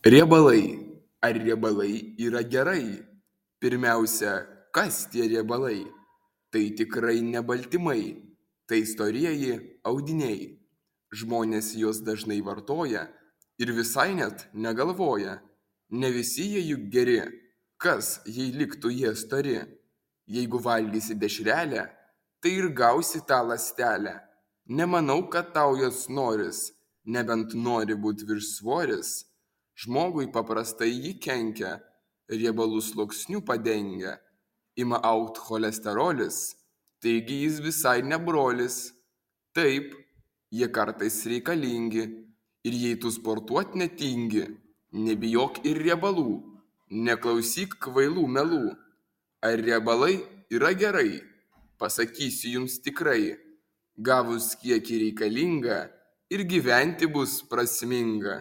Riebalai. Ar riebalai yra gerai? Pirmiausia, kas tie riebalai? Tai tikrai ne baltymai, tai storieji audiniai. Žmonės juos dažnai vartoja ir visai net negalvoja. Ne visi jie juk geri. Kas, jei liktų jie stori? Jeigu valgysi dešrelę, tai ir gausi tą ląstelę. Nemanau, kad tau jos noris, nebent nori būti viršsvoris. Žmogui paprastai ji kenkia, riebalų sluoksniu padengia, ima augt cholesterolis, taigi jis visai ne brolis. Taip, jie kartais reikalingi, ir jei tu sportuot netingi, nebijok ir riebalų, neklausyk kvailų melų. Ar riebalai yra gerai? Pasakysiu jums tikrai, gavus kiekį reikalingą ir gyventi bus prasminga.